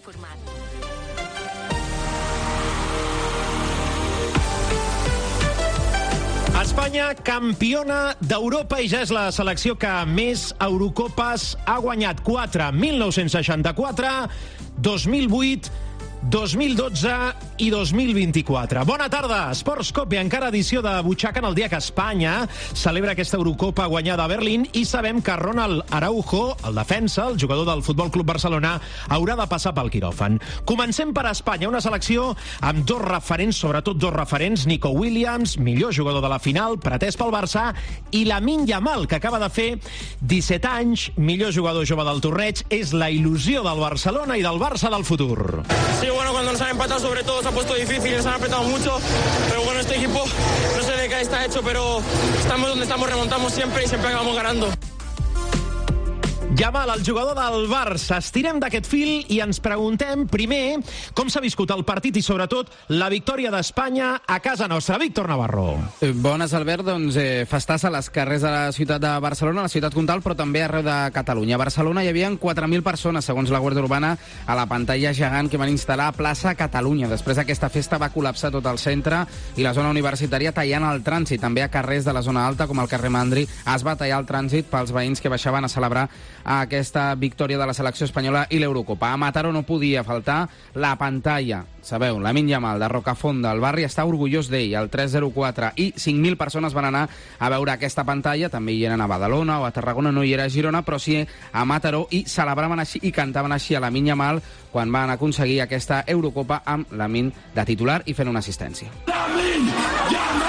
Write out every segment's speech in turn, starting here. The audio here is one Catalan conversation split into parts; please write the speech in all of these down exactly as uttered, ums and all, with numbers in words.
informat. Espanya, campiona d'Europa, i ja és la selecció que més Eurocopes ha guanyat. Quatre, mil nou-cents seixanta-quatre, dos mil vuit, dos mil dotze i dos mil vint-i-quatre. Bona tarda, Esports Cope, encara edició de Butxaca en el dia que Espanya celebra aquesta Eurocopa guanyada a Berlín, i sabem que Ronald Araujo, el defensa, el jugador del Futbol Club Barcelona, haurà de passar pel quiròfan. Comencem per Espanya, una selecció amb dos referents, sobretot dos referents, Nico Williams, millor jugador de la final, pretès pel Barça, i Lamine Yamal, que acaba de fer disset anys, millor jugador jove del torneig, és la il·lusió del Barcelona i del Barça del futur. Sí, bueno, cuando nos han empatado sobre todo se ha puesto difícil, nos han apretado mucho, pero bueno, este equipo no sé de qué está hecho, pero estamos donde estamos, remontamos siempre y siempre acabamos ganando. Yamal, el jugador del Barça. Estirem d'aquest fil i ens preguntem, primer, com s'ha viscut el partit i, sobretot, la victòria d'Espanya a casa nostra. Víctor Navarro. Bones, Albert. Doncs eh, festassa a les carrers de la ciutat de Barcelona, a la ciutat comtal, però també arreu de Catalunya. A Barcelona hi havia quatre mil persones, segons la Guàrdia Urbana, a la pantalla gegant que van instal·lar a plaça Catalunya. Després d'aquesta festa va col·lapsar tot el centre i la zona universitària, tallant el trànsit. També a carrers de la zona alta, com el carrer Mandri, es va tallar el trànsit pels veïns que baixaven a celebrar aquesta victòria de la selecció espanyola i l'Eurocopa. A Mataró no podia faltar la pantalla. Sabeu, Lamine Yamal, de Rocafonda, el barri està orgullós d'ell, el tres zero quatre, i cinc mil persones van anar a veure aquesta pantalla. També hi eren a Badalona o a Tarragona, no hi era a Girona, però sí a Mataró, i celebraven així i cantaven així a Lamine Yamal quan van aconseguir aquesta Eurocopa amb Lamine de titular i fent una assistència. Lamine Yamal!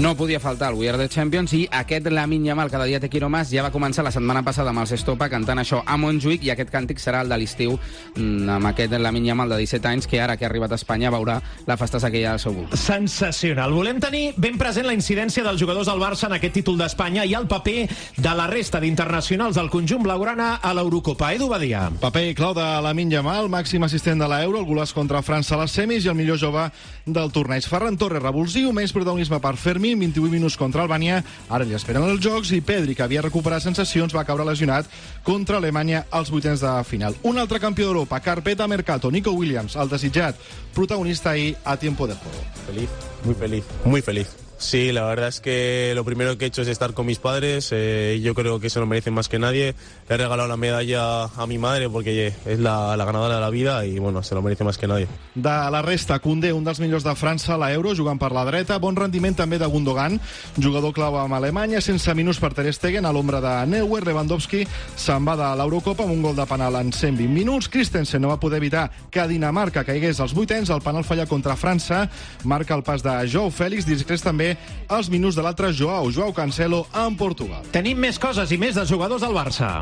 No podia faltar el We Are the Champions, i aquest Lamine Yamal, cada dia té quiromes, ja va començar la setmana passada amb els Estopa cantant això a Montjuïc, i aquest càntic serà el de l'estiu amb aquest Lamine Yamal de disset anys, que ara que ha arribat a Espanya veurà la festassa que hi ha al seu voltant. Sensacional. Volem tenir ben present la incidència dels jugadors del Barça en aquest títol d'Espanya i el paper de la resta d'internacionals del conjunt blaugrana a l'Eurocopa. Edu Badia. Paper clau de Lamine Yamal, màxim assistent de l'Euro, el golaç contra França a les semis i el millor jove del torneig. Ferran Torres, revulsiu, més protagonisme per Fermín, vint-i-vuit minuts contra Albània, ara li esperen els jocs, i Pedri, que havia recuperat sensacions, va caure lesionat contra Alemanya als vuitens de final. Un altre campió d'Europa, Carpeta Mercato, Nico Williams, el desitjat protagonista ahir a tiempo de juego. Feliz, muy feliz, muy feliz. Sí, la verdad es que lo primero que he hecho es estar con mis padres. Eh, yo creo que eso lo merecen más que nadie. Le he regalado la medalla a mi madre porque es la, la ganadora de la vida y, bueno, se lo merece más que nadie. De la resta, Koundé, un dels millors de França a l'Euro, jugant per la dreta. Bon rendiment també de Gundogan, jugador clau amb Alemanya, sense minuts per Ter Stegen a l'ombra de Neuer. Lewandowski se'n va de l'Eurocopa amb un gol de penal en cent vint minuts. Christensen no va poder evitar que Dinamarca caigués als vuitens. El penal fallat contra França marca el pas de Joao Fèlix. Discrets també els minuts de l'altre Joao, Joao Cancelo, en Portugal. Tenim més coses i més de jugadors del Barça.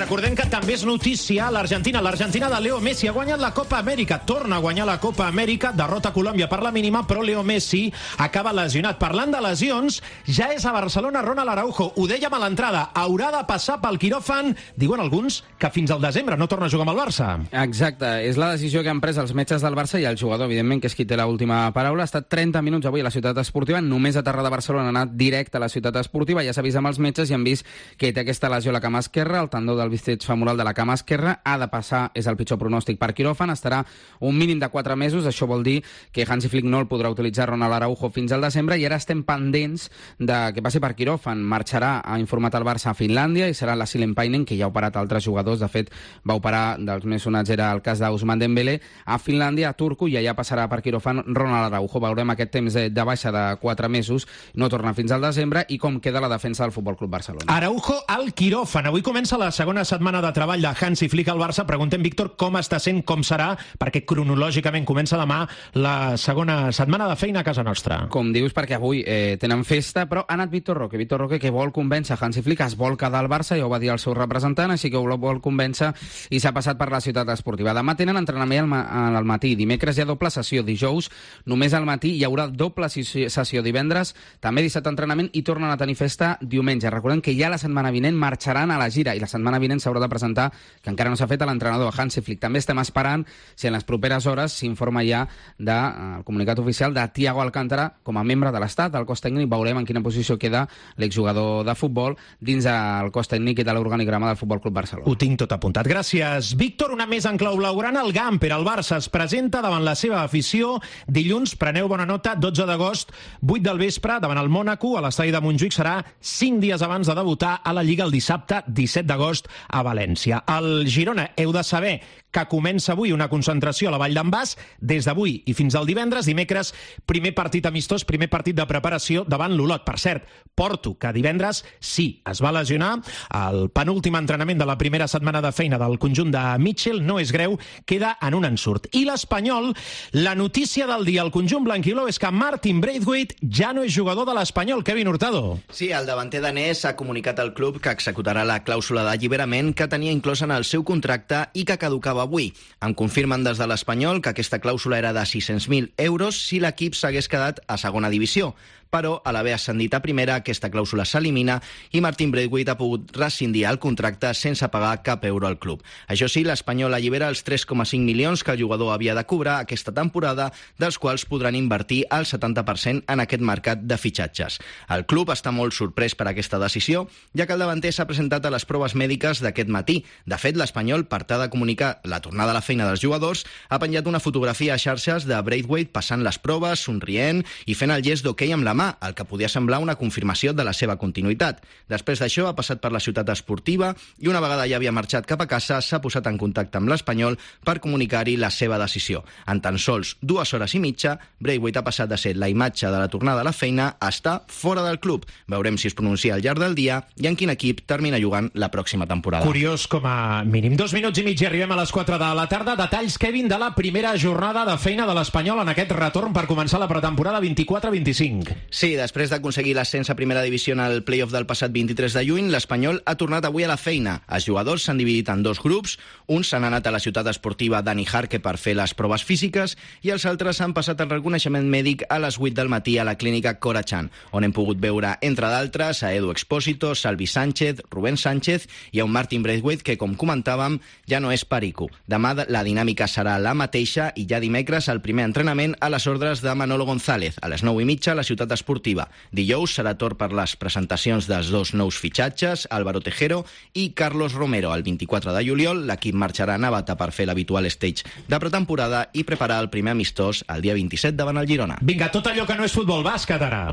Recordem que també és notícia l'Argentina. L'Argentina de Leo Messi ha guanyat la Copa Amèrica. Torna a guanyar la Copa Amèrica. Derrota Colòmbia per la mínima, però Leo Messi acaba lesionat. Parlant de lesions, ja és a Barcelona Ronald Araujo. Ho dèiem a l'entrada. Haurà de passar pel quiròfan. Diuen alguns que fins al desembre no torna a jugar amb el Barça. Exacte. És la decisió que han pres els metges del Barça i el jugador, evidentment, que és qui té l'última paraula. Ha estat trenta minuts avui a la ciutat esportiva. Només a Terra de Barcelona ha anat directe a la ciutat esportiva. Ja s'ha vist amb els metges i han vist que té aquesta lesió a la cama esquerra, el tendó del bíceps femoral de la cama esquerra, ha de passar, és el pitjor pronòstic, per quiròfan, estarà un mínim de quatre mesos, això vol dir que Hansi Flick no el podrà utilitzar Ronald Araujo fins al desembre, i ara estem pendents de que passi per quiròfan. Marxarà, ha informat el Barça, a Finlàndia, i serà la Silenpainen, que ja ha operat altres jugadors, de fet va operar, dels més sonats era el cas d'Ousmane Dembélé, a Finlàndia, a Turku, i allà passarà per quiròfan Ronald Araujo. Veurem aquest temps de, de baixa de quatre mesos, no torna fins al desembre, i com queda la defensa del Futbol Club Barcelona. Araujo al quiròfan. Avui comença la segona setmana de treball de Hansi Flick al Barça. Preguntem, Víctor, com està sent, com serà, perquè cronològicament comença demà la segona setmana de feina a casa nostra. Com dius, perquè avui eh, tenen festa, però ha anat Víctor Roque. Víctor Roque, que vol convèncer Hansi Flick, es vol quedar al Barça, ja ho va dir el seu representant, així que ho vol convèncer i s'ha passat per la ciutat esportiva. Demà tenen entrenament al, ma al matí, dimecres hi ha doble sessió, dijous només al matí hi haurà doble sessió, divendres també dissabte entrenament i tornen a tenir festa diumenge. Recordem que ja la setmana vinent marxaran a la gira i la setmana vinent s'haurà de presentar, que encara no s'ha fet, a l'entrenador Hansi Flick. També estem esperant si en les properes hores s'informa ja del de, comunicat oficial de Thiago Alcántara com a membre de l'Estat, el cos tècnic. Veurem en quina posició queda l'exjugador de futbol dins el cos tècnic i de l'organigrama del Futbol Club Barcelona. Ho tinc tot apuntat. Gràcies, Víctor. Una més en clau blaugrana. El Gamper, el Barça, es presenta davant la seva afició dilluns. Preneu bona nota, dotze d'agost, vuit del vespre, davant el Mònaco, a l'estadi de Montjuïc. Serà cinc dies abans de debutar a la Lliga el dissabte disset d'agost a València. El Girona, heu de saber que comença avui una concentració a la Vall d'en Bas, des d'avui i fins al divendres. Dimecres, primer partit amistós, primer partit de preparació davant l'Olot. Per cert, Porto, que divendres sí, es va lesionar. El penúltim entrenament de la primera setmana de feina del conjunt de Mitchell no és greu, queda en un ensurt. I l'Espanyol, la notícia del dia al conjunt blanquiló és que Martin Braithwaite ja no és jugador de l'Espanyol. Kevin Hurtado. Sí, el davanter danès ha comunicat al club que executarà la clàusula d'alliberament que tenia inclosa en el seu contracte i que caducava avui. Em confirmen des de l'Espanyol que aquesta clàusula era de sis-cents mil euros si l'equip s'hagués quedat a segona divisió. Però, a l'haver ascendit a primera, aquesta clàusula s'elimina i Martin Braithwaite ha pogut rescindir el contracte sense pagar cap euro al club. Això sí, l'Espanyol allibera els tres coma cinc milions que el jugador havia de cobrar aquesta temporada, dels quals podran invertir el setanta per cent en aquest mercat de fitxatges. El club està molt sorprès per aquesta decisió, ja que el davanter s'ha presentat a les proves mèdiques d'aquest matí. De fet, l'Espanyol, per tal de comunicar la tornada a la feina dels jugadors, ha penjat una fotografia a xarxes de Braithwaite passant les proves, somrient i fent el gest d'hoquei amb la mà, el que podia semblar una confirmació de la seva continuïtat. Després d'això ha passat per la ciutat esportiva i una vegada ja havia marxat cap a casa s'ha posat en contacte amb l'Espanyol per comunicar-hi la seva decisió. En tan sols dues hores i mitja, Braithwaite ha passat de ser la imatge de la tornada a la feina a estar fora del club. Veurem si es pronuncia al llarg del dia i en quin equip termina jugant la pròxima temporada. Curiós com a mínim. Dos minuts i mig i arribem a les quatre de la tarda. Detalls, Kevin, de la primera jornada de feina de l'Espanyol en aquest retorn per començar la pretemporada vint-i-quatre vint-i-cinc. Sí, després d'aconseguir l'ascens a primera divisió en el play-off del passat vint-i-tres de juny, l'Espanyol ha tornat avui a la feina. Els jugadors s'han dividit en dos grups, uns s'han anat a la ciutat esportiva Dani Jarque per fer les proves físiques i els altres han passat el reconeixement mèdic a les vuit del matí a la clínica Cora Chan, on hem pogut veure, entre d'altres, a Edu Expósito, Salvi Sánchez, Rubén Sánchez i a un Martin Braithwaite que, com comentàvem, ja no és perico. Demà la dinàmica serà la mateixa i ja dimecres el primer entrenament a les ordres de Manolo González, a les nou i mitja a la ciutat esportiva. Dijous serà torn per les presentacions dels dos nous fitxatges, Álvaro Tejero i Carlos Romero. El vint-i-quatre de juliol l'equip marxarà a Navata per fer l'habitual stage de pretemporada i preparar el primer amistós el dia vint-i-set davant el Girona. Vinga, tot allò que no és futbol bàsquet ara.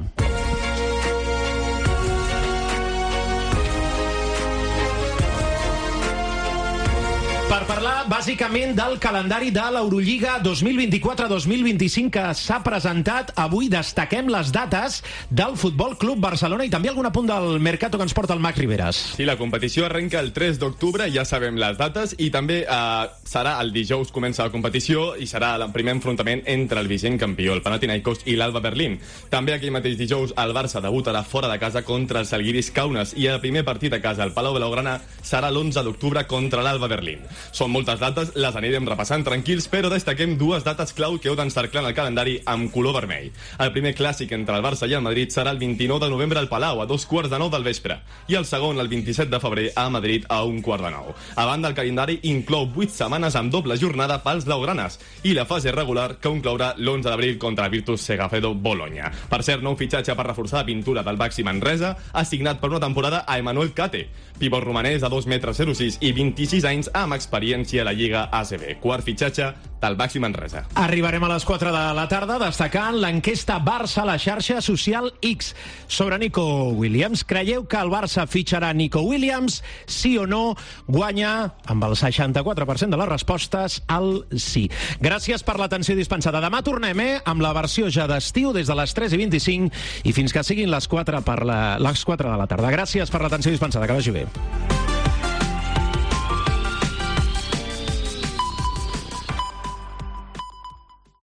Per parlar bàsicament del calendari de l'Eurolliga dos mil vint-i-quatre dos mil vint-i-cinc que s'ha presentat avui, destaquem les dates del Futbol Club Barcelona i també algun apunt del Mercato que ens porta el Mac Riveras. Sí, la competició arrenca el tres d'octubre, ja sabem les dates, i també eh, serà el dijous comença la competició i serà el primer enfrontament entre el vigent campió, el Panathinaikos, i l'Alba Berlín. També aquell mateix dijous el Barça debutarà fora de casa contra el Žalgiris Kaunas i el primer partit a casa al Palau Blaugrana serà l'onze d'octubre contra l'Alba Berlín. Són moltes dates, les anirem repassant tranquils, però destaquem dues dates clau que heu d'encerclar en el calendari amb color vermell. El primer clàssic entre el Barça i el Madrid serà el vint-i-nou de novembre al Palau, a dos quarts de nou del vespre, i el segon el vint-i-set de febrer a Madrid a un quart de nou. A banda, el calendari inclou vuit setmanes amb doble jornada pels blaugranes i la fase regular que conclourà l'onze d'abril contra el Virtus Segafredo Bologna. Per cert, nou fitxatge per reforçar la pintura del Baxi Manresa, assignat per una temporada a Emmanuel Cate, pivot romanès de dos metres zero sis i vint-i-sis anys amb experiència a la Lliga A C B. Quart fitxatge del Baxi Manresa. Arribarem a les quatre de la tarda destacant l'enquesta Barça a la xarxa social X sobre Nico Williams. Creieu que el Barça fitxarà Nico Williams? Sí o no? Guanya amb el seixanta-quatre per cent de les respostes al sí. Gràcies per l'atenció dispensada. Demà tornem, eh, amb la versió ja d'estiu des de les tres i vint-i-cinc i fins que siguin les quatre, per la, les quatre de la tarda. Gràcies per l'atenció dispensada. Que vagi bé.